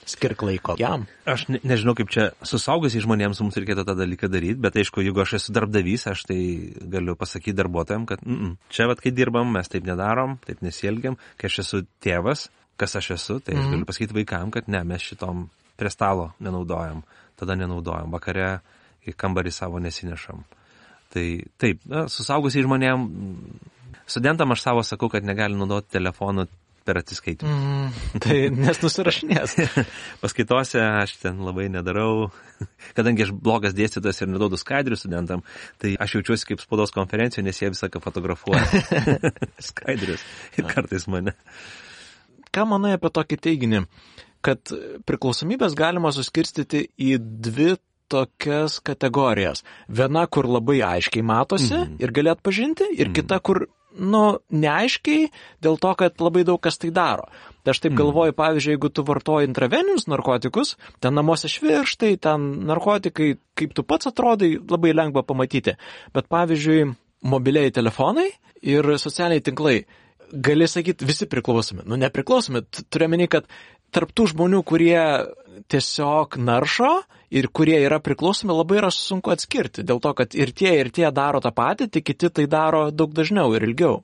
skirk laiko jam. Aš ne, nežinau, kaip čia su saugusiais žmonėms mums reikėtų tą dalyką daryti, bet aišku, jeigu aš esu darbdavys, aš tai galiu pasakyti darbuotojams, kad mm, čia vat, kai dirbam, mes taip nedarom, taip nesielgiam, kai aš esu tėvas, kas aš esu, tai aš mm. galiu pasakyti vaikam, kad ne, mes šitom prie stalo nenaudojam, tada nenaudojam, vakare į kambarį savo nesinešam. Tai taip, na, su saugusiais žmonėm, studentam aš savo sakau, kad negali naudoti telefonų per atsiskaitimus. Mm, tai nes nusirašinės. Paskaitose aš ten labai nedarau, kadangi aš blogas dėstytojas ir neduodu skaidrių studentam, tai aš jaučiuosi kaip spaudos konferencijoje, nes jie visą ką fotografuoja. Skaidrius ir kartais mane. Ką manai apie tokį teiginį, kad priklausomybės galima suskirstyti į dvi tokias kategorijas. Viena, kur labai aiškiai matosi mm-hmm. ir gali atpažinti, ir mm-hmm. kita, kur, nu, neaiškiai, dėl to, kad labai daug kas tai daro. Tai aš taip mm-hmm. galvoju, pavyzdžiui, jeigu tu vartoji intraveninius narkotikus, ten namuose švirkštai, ten narkotikai, kaip tu pats atrodai, labai lengva pamatyti. Bet, pavyzdžiui, mobiliai telefonai ir socialiniai tinklai, gali sakyti, visi priklausomi. Nu, nepriklausomi. Turiu meni, kad tarptų žmonių, kurie tiesiog naršo ir kurie yra priklausomi, labai yra sunku atskirti. Dėl to, kad ir tie, ir tie daro tą patį, tik kiti tai daro daug dažniau ir ilgiau.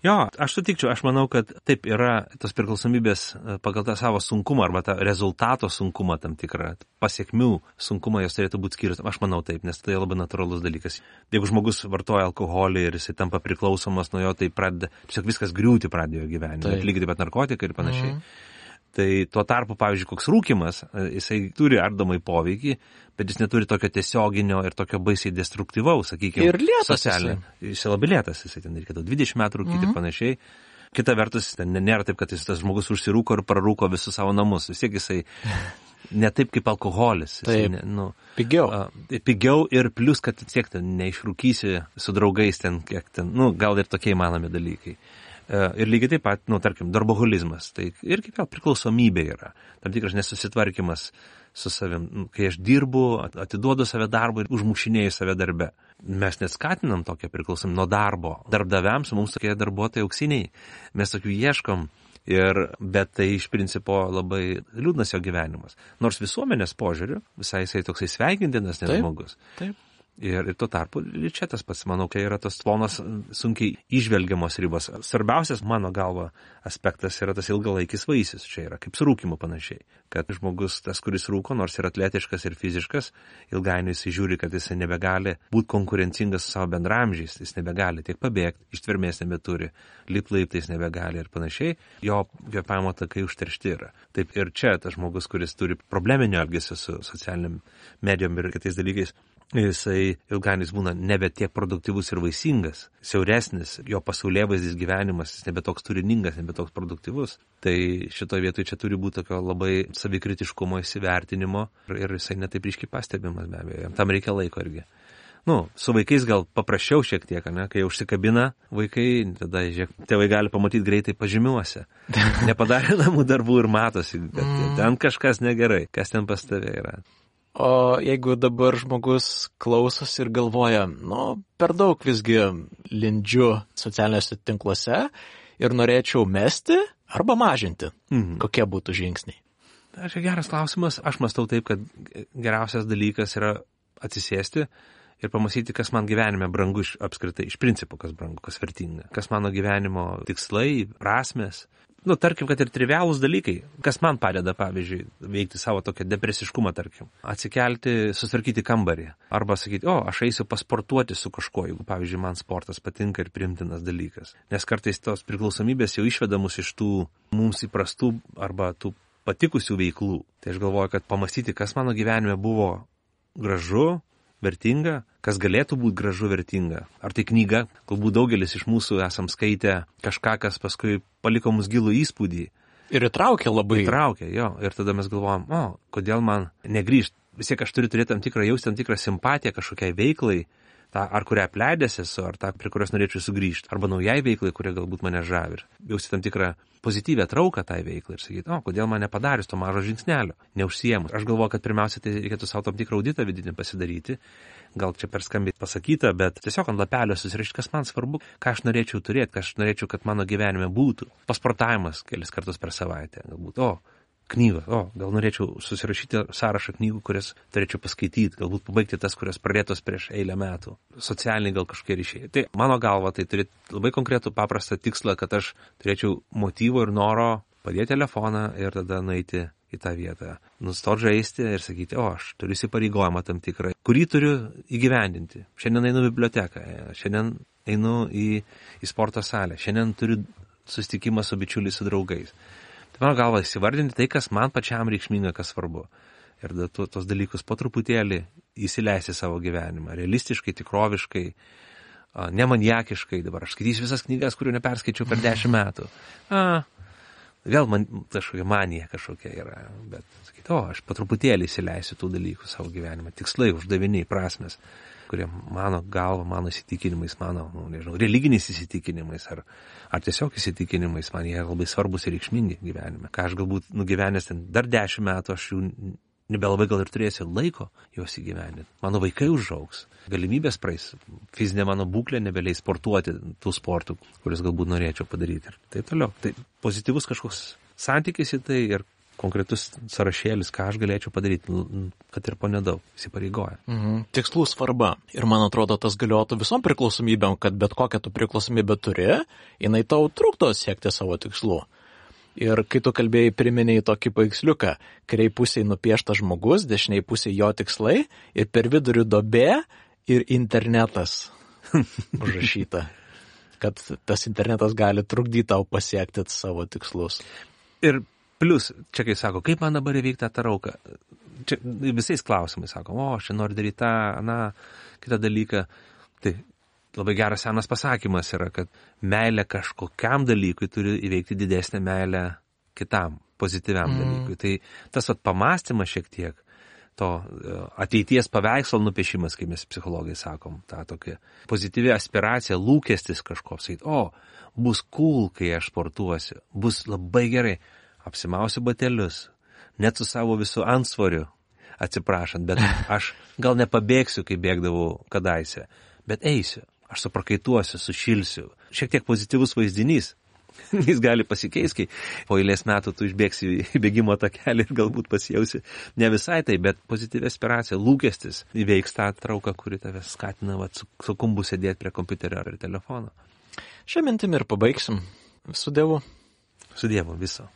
Jo, aš sutikčiau, aš manau, kad taip yra tos priklausomybės pagal tą savo sunkumą arba tą rezultato sunkumą tam tikrą, pasiekmių sunkumą jos turėtų būti skirtos. Aš manau taip, nes tai labai natūralus dalykas. Jeigu žmogus vartoja alkoholį ir jisai tampa priklausomas nuo jo, tai pradeda, tiesiog viskas griūti pradėjo gyvenime, lygiai taip pat narkotikai ir panašiai. Mhm. Tai tuo tarpu, pavyzdžiui, koks rūkimas, jisai turi ardomai poveikį, bet jis neturi tokio tiesioginio ir tokio baisiai destruktyvaus, sakykime, ir lėtas jisai. Jisai labai lėtas, jisai ten reikėtų dvidešimt metų rūkyti mm-hmm. ir panašiai. Kita vertus, ten nėra taip, kad jis tas žmogus užsirūko ir prarūko visus savo namus. Vis tiek jisai ne taip kaip alkoholis. Taip, ne, nu, pigiau. Uh, pigiau ir plus, kad tiek ten neišrūkysi su draugais ten, kiek ten, nu, gal ir tokie įmanomi dalykai. Ir lygiai taip pat, nu, tarkim, darboholizmas, tai irgi vėl priklausomybė yra, tam tikras nesusitvarkymas su savim, kai aš dirbu, atiduodu save darbą ir užmušinėju save darbe. Mes neskatinam tokią priklausomybę nuo darbo. Darbdaviams mums tokie darbuotojai auksiniai, mes tokių ieškom, ir, bet tai iš principo labai liūdnas jo gyvenimas. Nors visuomenės požiūriu, visai jisai toksai sveikintinas nes žmogus. Taip. Ir, ir tuo tarpu, ir čia tas pats, manau, kai yra tos plonos sunkiai išvelgiamos ribos. Svarbiausias, mano galva, aspektas yra tas ilgalaikis vaisius. Čia yra kaip su rūkymu panašiai. Kad žmogus, tas, kuris rūko, nors ir atletiškas ir fiziškas, ilgainiui jis žiūri, kad jis nebegali būti konkurencingas su savo bendramžiais, jis nebegali tiek pabėgti, ištvermės nebeturi, lip laiptais nebegali ir panašiai, jo kvėpavimo takai užteršti yra. Taip ir čia tas žmogus, kuris turi probleminio elgesio su socialiniam medijom ir kitais dalykais, jisai ilgainiui būna nebe tiek produktyvus ir vaisingas, siauresnis, jo pasaulėvaizdis gyvenimas, jis nebe toks turiningas, nebe toks produktyvus. Tai šitoje vietoje čia turi būti tokio labai savikritiškumo įsivertinimo ir, ir jisai netaip ryškiai pastebimas be abejo. Tam reikia laiko irgi. Nu, su vaikais gal paprasčiau šiek tiek, ne? Kai užsikabina vaikai, tada žiūrėk, tėvai gali pamatyti greitai pažymiuose. Nepadarė namų darbų ir matosi, kad ten kažkas negerai, kas ten pas tave yra. O jeigu dabar žmogus klausosi ir galvoja, nu, per daug visgi lindžiu socialiniuose tinkluose ir norėčiau mesti arba mažinti, mhm. kokie būtų žingsniai? Tai čia geras klausimas. Aš mąstau taip, kad geriausias dalykas yra atsisėsti ir pamąstyti, kas man gyvenime brangu iš apskritai, iš principo, kas brangu, kas vertinga, kas mano gyvenimo tikslai, prasmės. Nu, tarkim, kad ir trivialūs dalykai, kas man padeda, pavyzdžiui, veikti savo tokią depresiškumą, tarkim, atsikelti, susitvarkyti kambarį, arba sakyti, o, aš eisiu pasportuoti su kažkuo, jeigu, pavyzdžiui, man sportas patinka ir priimtinas dalykas. Nes kartais tos priklausomybės jau išveda mus iš tų mums įprastų arba tų patikusių veiklų. Tai aš galvoju, kad pamastyti, kas mano gyvenime buvo gražu, vertinga, kas galėtų būti gražu, vertinga. Ar tai knyga, galbūt daugelis iš mūsų esam skaitę kažką, kas paskui paliko mus gilų įspūdį. Ir įtraukė labai. Įtraukė, jo. Ir tada mes galvojam, o, kodėl man negrįžti. Vis tiek aš turiu turėti tam tikrą jausti, tam tikrą simpatiją kažkokiai veiklai, tą, ar kurią apleidęs esu, ar tą, prie kurios norėčiau sugrįžti, arba naujai veiklai, kuria galbūt mane žavi. Jausti tam tikrą pozityvę trauką tai veiklai ir sakyti, o, kodėl man nepadarius to mažo žingsnelio, neužsiemus. Aš galvoju, kad pirmiausia, tai reikėtų savo tam tikrą auditą vidinį pasidaryti. Gal čia per skambiai pasakyta, bet tiesiog ant lapelio susirašyti, kas man svarbu, ką aš norėčiau turėti, ką aš norėčiau, kad mano gyvenime būtų. Pasportavimas kelis kartus per savaitę, galbūt, o, knygos, o, gal norėčiau susirašyti sąrašą knygų, kurias turėčiau paskaityti, galbūt pabaigti tas, kurias pradėtos prieš eilę metų. Socialiniai gal kažkokie ryšiai. Tai mano galva, tai turėti labai konkretų paprastą tikslą, kad aš turėčiau motyvo ir noro padėti telefoną ir tada nueiti į tą vietą. Nustot žaisti ir sakyti, o, aš turiu įsipareigojimą tam tikrą, kurį turiu įgyvendinti. Šiandien einu į biblioteką, šiandien einu į, į sporto salę, šiandien turiu susitikimą su bičiuliais, su draugais. Tai mano galva įsivardinti tai, kas man pačiam reikšminga, kas svarbu. Ir da, tu, tos dalykus po truputėlį įsileisti savo gyvenimą. Realistiškai, tikroviškai, nemaniakiškai. Dabar aš skaitysiu visas knygas, kurių neperskaičiau per dešimt metų. A, vėl man kažkokia manija kažkokia yra. Bet sakyti, o, aš po truputėlį įsileisiu tų dalykų savo gyvenimą. Tikslai, uždaviniai, prasmės, kurie mano galva, mano įsitikinimais, mano, nu, nežinau, religiniais įsitikinimais ar, ar tiesiog įsitikinimais, man jie labai svarbus ir reikšmingi gyvenime. Ką aš galbūt nugyvenęs ten dar dešimt metų, aš jų nebelabai gal ir turėsiu laiko juos įgyvendinti. Mano vaikai užaugs, galimybės praeis, fizinė mano būklė nebeleis sportuoti tų sportų, kuriuos galbūt norėčiau padaryti ir taip toliau. Tai pozityvus kažkoks santykis į tai ir konkretus sąrašėlis, ką aš galėčiau padaryti, kad ir po nedaug įsipareigoja. Mhm. Tikslų svarba. Ir man atrodo, tas galiotų visom priklausomybėm, kad bet kokią tu priklausomybę turi, jinai tau trukdo siekti savo tikslų. Ir kai tu kalbėjai, priminėjai tokį paveiksliuką, kairiai pusėje nupieštas žmogus, dešiniai pusėje jo tikslai ir per vidurių duobė ir internetas užrašyta, kad tas internetas gali trukdyti tau pasiekti savo tikslus. Ir plus, čia kai sako, kaip man dabar įveikti tą rauką? Čia visais klausimais sako, o, aš čia noriu daryti tą, na, kitą dalyką. Tai labai geras senas pasakymas yra, kad meilė kažkokiam dalykui turi įveikti didesnę meilę kitam, pozityviam mm. dalykui. Tai tas vat pamastymas šiek tiek, to ateities paveikslo nupiešimas, kaip mes psichologai sakom, ta tokia pozityvi aspiracija, lūkestis kažkoks, sakyt, o, bus cool, kai aš sportuosiu, bus labai gerai, apsimausiu batelius, net su savo visų antsvoriu, atsiprašant, bet aš gal nepabėgsiu, kai bėgdavau kadaise, bet eisiu. Aš suprakaituosiu, sušilsiu. Šiek tiek pozityvus vaizdinys. Jis gali pasikeisti, kai po eilės metų tu išbėgsi į bėgimo takelį ir galbūt pasijausi ne visai tai, bet pozityvi aspiracija, lūkestis įveiks tą trauką, kuri tave skatina vat, su, su kumbu sėdėti prie kompiuterio ar telefono. Šią mintimį ir pabaigsim. Su Dievu. Su Dievu viso.